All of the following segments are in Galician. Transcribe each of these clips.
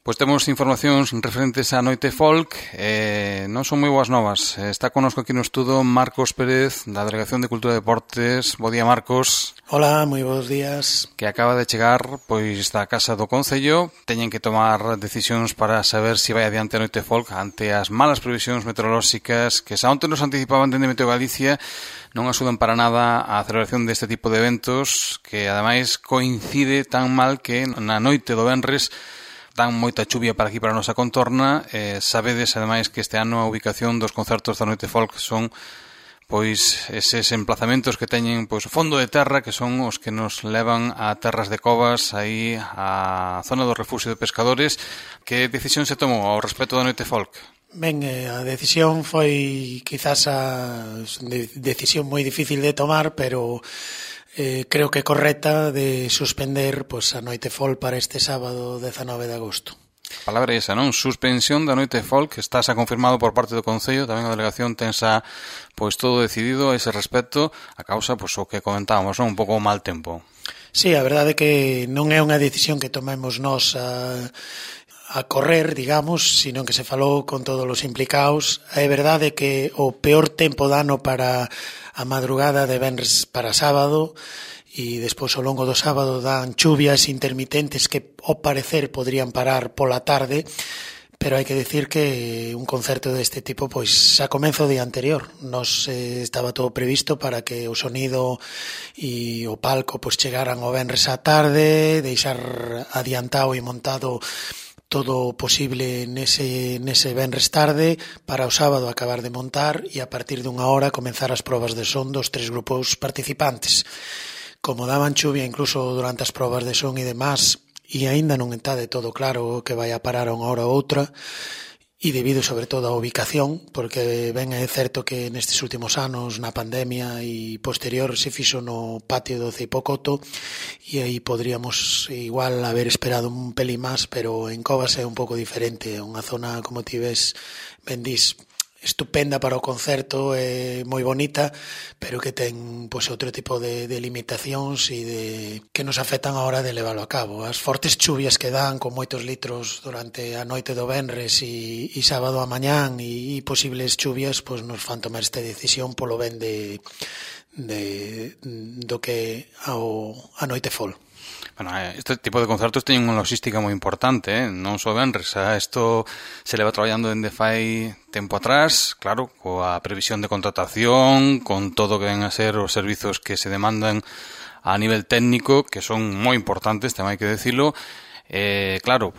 Pois temos informacións referentes á Noite Folk, non son moi boas novas. Está connosco aquí no estudo Marcos Pérez, da Delegación de Cultura e Deportes. Bo día, Marcos. Hola, moi bons días. Que acaba de chegar pois da Casa do Concello. Teñen que tomar decisións para saber se vai adiante a Noite Folk ante as malas previsións meteorolóxicas que xa onte nos anticipaban dende Meteo Galicia. Non axudan para nada a celebración deste tipo de eventos que ademais coincide tan mal que na noite do venres dan moita chuvia para aquí, para a nosa contorna. Sabedes, ademais, que este ano a ubicación dos concertos da Noite Folk son pois eses emplazamentos que teñen pois o fondo de terra, que son os que nos levan a Terras de Covas, aí a zona do refugio de pescadores. Que decisión se tomou ao respecto da Noite Folk? Ben, a decisión foi quizás a decisión moi difícil de tomar, pero creo que correcta, de suspender a Noite Folk para este sábado 19 de agosto. A palabra é esa, non? Suspensión da Noite Folk, está xa confirmado por parte do Concello, tamén a delegación ten xa todo decidido a ese respecto, a causa o que comentábamos, non? Un pouco o mal tempo. Sí, a verdade é que non é unha decisión que tomemos nós a correr, digamos, sino que se falou con todos os implicados. É verdade que o peor tempo do ano para a madrugada de venres para sábado, e despois ao longo do sábado dan chuvias intermitentes que ao parecer podrían parar pola tarde, pero hai que decir que un concerto deste tipo xa comeza o día anterior. Nos estaba todo previsto para que o sonido e o palco chegaran o venres á tarde, deixar adiantado e montado todo o posible nese venres tarde, para o sábado acabar de montar e a partir dunha hora comenzar as probas de son dos 3 grupos participantes. Como daban chuvia incluso durante as probas de son e demás, e aínda non está de todo claro que vai a parar unha hora ou outra, e debido sobre todo á ubicación, porque ben é certo que nestes últimos anos na pandemia e posterior se fixo no patio do Ceipocoto, e aí podríamos igual haber esperado un pelín máis, pero en Covas é un pouco diferente, é unha zona, como ti ves, ben dis, estupenda para o concerto, é moi bonita, pero que ten outro tipo de limitacións e que nos afectan a hora de leválo a cabo. As fortes chuvias que dan con moitos litros durante a noite do venres e sábado a mañán e posibles chuvias nos fan tomar esta decisión polo ben do que a Noite Folk. Bueno, este tipo de concertos teñen unha logística moi importante, non só venres. Isto se leva traballando dende fai tempo atrás, claro, coa previsión de contratación, con todo o que ven a ser os servizos que se demandan a nivel técnico, que son moi importantes, tamén hai que decilo. Claro,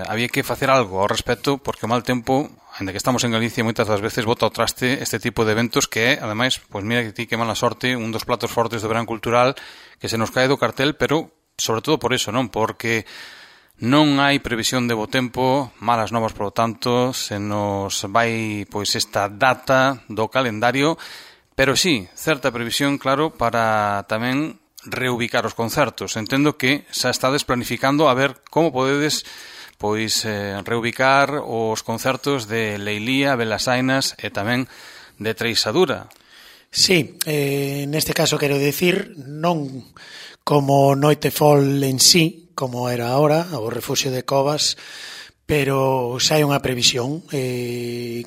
había que facer algo ao respecto, porque o mal tempo, ainda que estamos en Galicia, moitas das veces bota ao traste este tipo de eventos que é, ademais, mira que ti que mala sorte, un dos platos fortes do verán cultural que se nos cae do cartel, pero sobre todo por eso, non? Porque non hai previsión de bo tempo, malas novas, por lo tanto, se nos vai esta data do calendario, pero sí, certa previsión, claro, para tamén reubicar os concertos. Entendo que xa estades planificando a ver como podedes reubicar os concertos de Leilía, Belasainas e tamén de Treixadura. Sí, neste caso quero decir, non como Noite Folk en sí, como era ahora, o refugio de Covas, pero xa hai unha previsión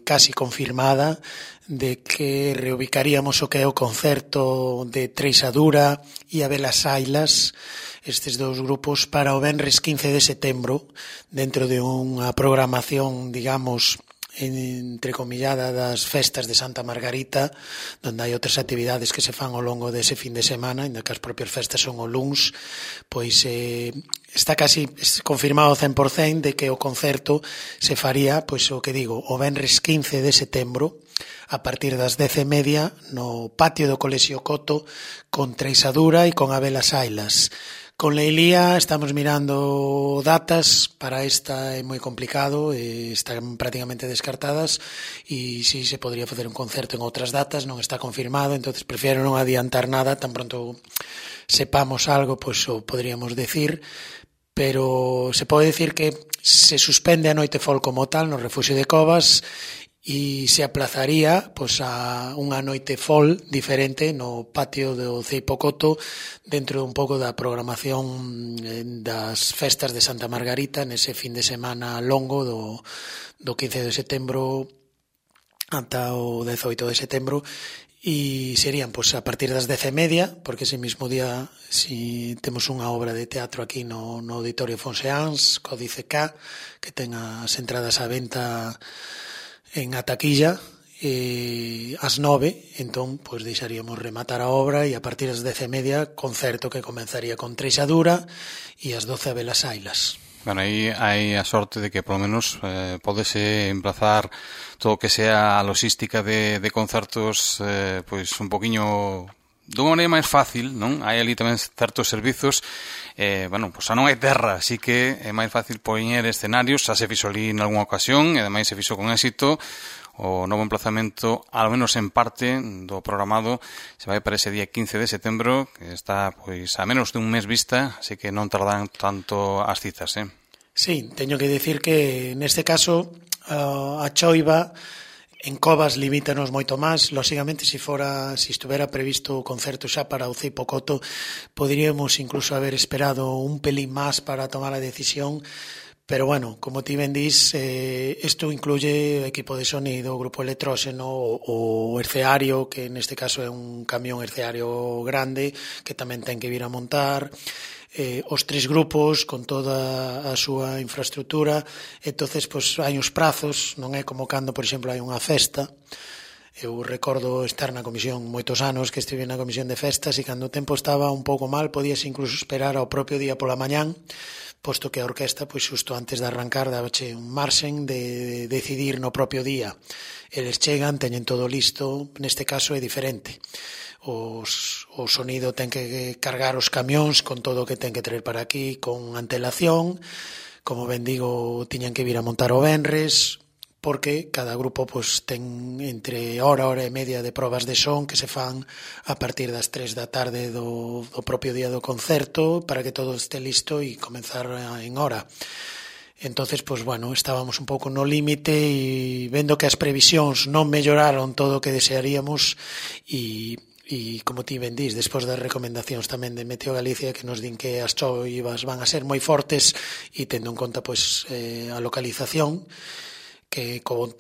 casi confirmada de que reubicaríamos o que é o concerto de Treixadura e a Belasailas, estes dous grupos, para o venres 15 de setembro, dentro de unha programación, digamos, entrecomillada das festas de Santa Margarita, onde hai outras actividades que se fan ao longo dese fin de semana, ainda que as propias festas son o luns, está casi confirmado 100% de que o concerto se faría, o que digo, o venres 15 de setembro, a partir das 10:30 no patio do Colexio Coto, con Treixadura e con a Belasailas. Con Leilía estamos mirando datas, para esta é moi complicado, están prácticamente descartadas, e si se podría facer un concerto en outras datas, non está confirmado, entonces prefiero non adiantar nada, tan pronto sepamos algo, o podríamos decir, pero se pode decir que se suspende a Noite Folk como tal no refugio de Covas, e se aplazaría pois a unha noite folk diferente no patio do Ceipo Coto dentro un pouco da programación das festas de Santa Margarita nese fin de semana longo do 15 de setembro ata o 18 de setembro, e serían pois a partir das 10:30, porque ese mismo día si temos unha obra de teatro aquí no Auditorio Fonseans, Códice K, que ten as entradas á venta en a taquilla, ás 9, entón pois deixaríamos rematar a obra e a partir das 10:30 concerto que comenzaría con Treixadura e ás 12 a Velas Ailas. Bueno, aí hai a sorte de que polo menos podese emplazar todo o que sea a logística de concertos pois un poquiño dunha maneira máis fácil, non? Hai ali tamén certos servizos bueno, pois xa non hai terra, así que é máis fácil poñer escenarios, xa se fixo ali en algunha ocasión e ademais se fixo con éxito. O novo emplazamento, ao menos en parte do programado, se vai para ese día 15 de setembro, que está pois a menos de un mes vista, así que non tardan tanto as citas, Sí, teño que decir que neste caso a choiva en Covas limítanos moito máis. Lóxicamente, se estuvera previsto o concerto xa para o Ceipo Coto, poderíamos incluso haber esperado un pelín máis para tomar a decisión. Pero bueno, como ti ben dís, isto incluye o equipo de sonido, o grupo electróxeno, o herceario, que neste caso é un camión herceario grande, que tamén ten que vir a montar, os tres grupos con toda a súa infraestructura. Entonces, pois, hai uns prazos, non é como cando, por exemplo, hai unha festa. Eu recordo estar na comisión moitos anos, que estive na comisión de festas, e cando o tempo estaba un pouco mal, podías incluso esperar ao propio día pola mañán, posto que a orquesta, pois xusto antes de arrancar, dabache un marxen de decidir no propio día. Eles chegan, teñen todo listo, neste caso é diferente. O sonido ten que cargar os camións con todo o que ten que traer para aquí, con antelación. Como ben digo, tiñan que vir a montar o venres, porque cada grupo pois ten entre hora e media de probas de son que se fan a partir das 3 da tarde do propio día do concerto para que todo este listo e comenzar en hora. Entonces, pois bueno, estábamos un pouco no límite e vendo que as previsións non melloraron todo o que desearíamos e como ti ben dís, despois das recomendacións tamén de Meteo Galicia que nos din que as choivas van a ser moi fortes e tendo en conta pois a localización, que con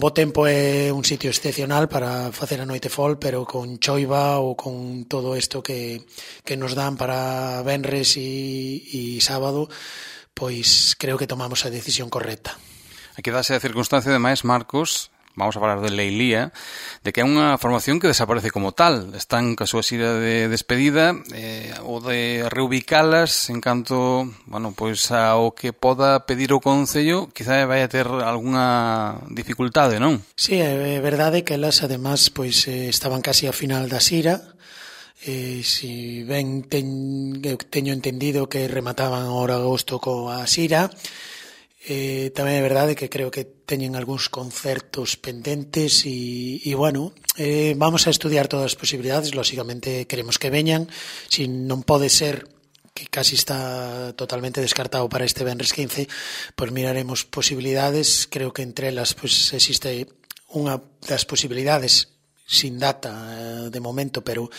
bo tempo é un sitio excepcional para facer a noite folk, pero con choiva ou con todo isto que nos dan para venres e sábado, pois creo que tomamos a decisión correcta. Aquí dase a circunstancia, ademais, Marcos, vamos a falar de Leilía, de que é unha formación que desaparece como tal. Están ca súa xira de despedida, ou de reubicalas en canto, bueno, pois ao que poda pedir o Concello, quizá vai a ter algunha dificultade, non? Sí, é verdade que elas, además, pois estaban casi ao final da xira. Si ben teño entendido que remataban ahora agosto coa xira. Tamén é verdade que creo que teñen algúns concertos pendentes e bueno, vamos a estudiar todas as posibilidades. Lóxicamente queremos que veñan, si non pode ser, que casi está totalmente descartado para este venres 15, pois miraremos posibilidades. Creo que entre elas pois existe unha das posibilidades sin data de momento, pero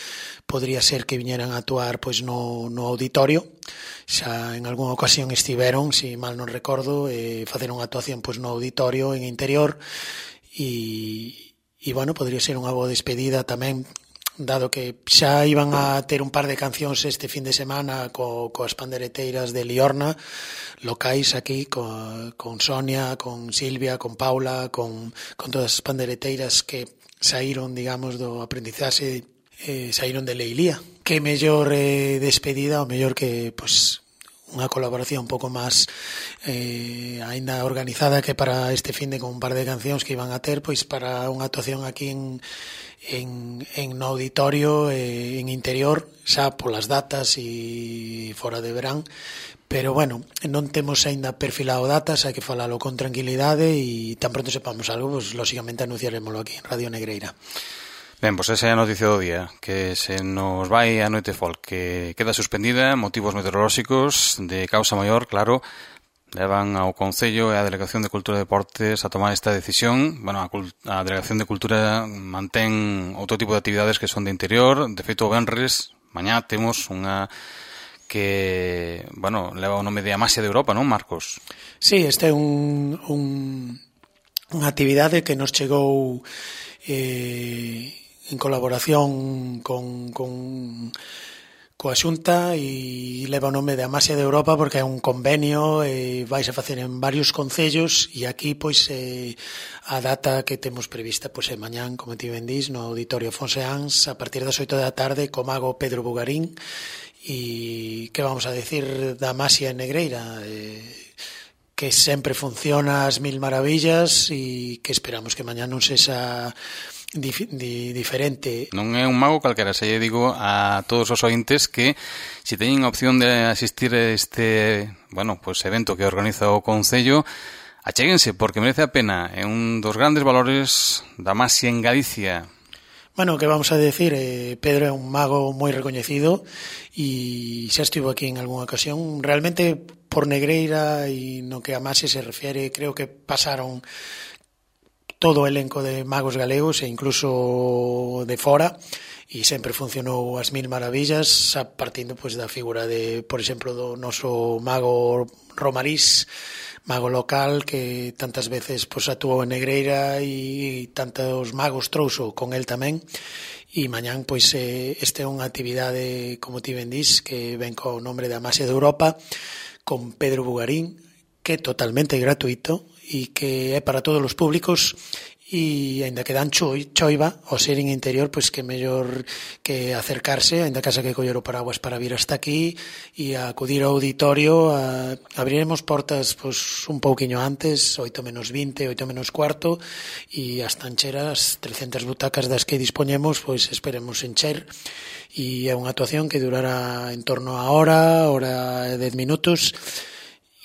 podría ser que viñeran a actuar pois no auditorio. Xa en algunha ocasión estiveron, si mal non recordo, facer unha actuación pois no auditorio en interior e bueno, podría ser unha boa despedida tamén, dado que xa iban a ter un par de cancións este fin de semana coas pandereteiras de Liorna, locais aquí, con Sonia, con Silvia, con Paula, con todas as pandereteiras que saíron, digamos, do aprendizaxe, saíron de Leilía. Que mellor despedida, ou mellor que, pois, unha colaboración un pouco máis aínda organizada que para este fin de con un par de cancións que iban a ter, pois para unha actuación aquí en no auditorio, en interior, xa polas datas e fora de verán. Pero bueno, non temos aínda perfilado datas, hai que falalo con tranquilidade e tan pronto sepamos algo, pois lóxicamente anunciaremoslo aquí en Radio Negreira. Ben, pois esa é a noticia do día, que se nos vai a noite folk, que queda suspendida, motivos meteorolóxicos de causa maior, claro, levan ao Concello e a Delegación de Cultura e Deportes a tomar esta decisión. Bueno, a Delegación de Cultura mantén outro tipo de actividades que son de interior. De feito, o venres, mañá temos unha que, bueno, leva o nome de Amasia de Europa, non, Marcos? Sí, esta é unha actividade que nos chegou en colaboración coa Xunta e leva o nome de Amasia de Europa porque é un convenio e vais a facer en varios concellos e aquí pois a data que temos prevista pois é mañán, como ti ben dís, no Auditorio Fonseans a partir das 8 da tarde co mago Pedro Bugarín. E que vamos a decir da Amasia en Negreira, que sempre funciona ás mil maravillas e que esperamos que mañá non sexa diferente. Non é un mago calquera, se lle digo a todos os ointes que se teñen a opción de asistir a este, bueno, pues evento que organiza o Concello, achéguense porque merece a pena. É un dos grandes valores da Amasia en Galicia. Bueno, que vamos a decir, Pedro é un mago moi recoñecido e xa estivo aquí en algunha ocasión. Realmente por Negreira e no que a Amasia se refiere, creo que pasaron todo o elenco de magos galegos e incluso de fora e sempre funcionou ás mil maravillas, a partindo pois da figura de, por exemplo, do noso mago Romarís, mago local que tantas veces pois actuou en Negreira e tantos magos trouxo con el tamén. E mañán pois este é unha actividade, como ti ben dís, que ven co nome de Amasia de Europa con Pedro Bugarín, que é totalmente gratuito e que é para todos os públicos e aínda que dan choiva ao ser en interior, pois que mellor que acercarse, aínda que haxa que coller o paraguas para vir hasta aquí e acudir ao auditorio. Abriremos portas pois un pouquiño antes, 8 menos 20, 8 menos cuarto, e as tancheras, 300 butacas das que dispoñemos, pois esperemos encher, e é unha actuación que durará en torno a hora e 10 minutos,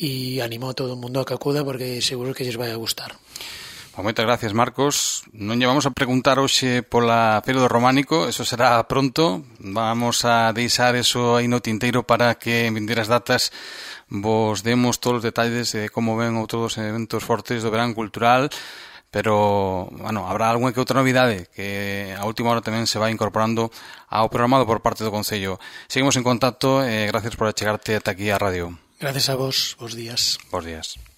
e animo a todo o mundo a que acuda porque seguro que lles vai a gustar. Moitas gracias, Marcos. Non lle vamos a preguntar hoxe pola Feira do Románico, eso será pronto. Vamos a deixar eso aí no tinteiro para que en vindeiras datas vos demos todos os detalles de como ven outros eventos fortes do verán cultural. Pero, bueno, habrá algunha que outra novidade que a última hora tamén se vai incorporando ao programado por parte do Concello. Seguimos en contacto e gracias por achegarte ata aquí á radio. Gracias a vos, bons días. Bons días.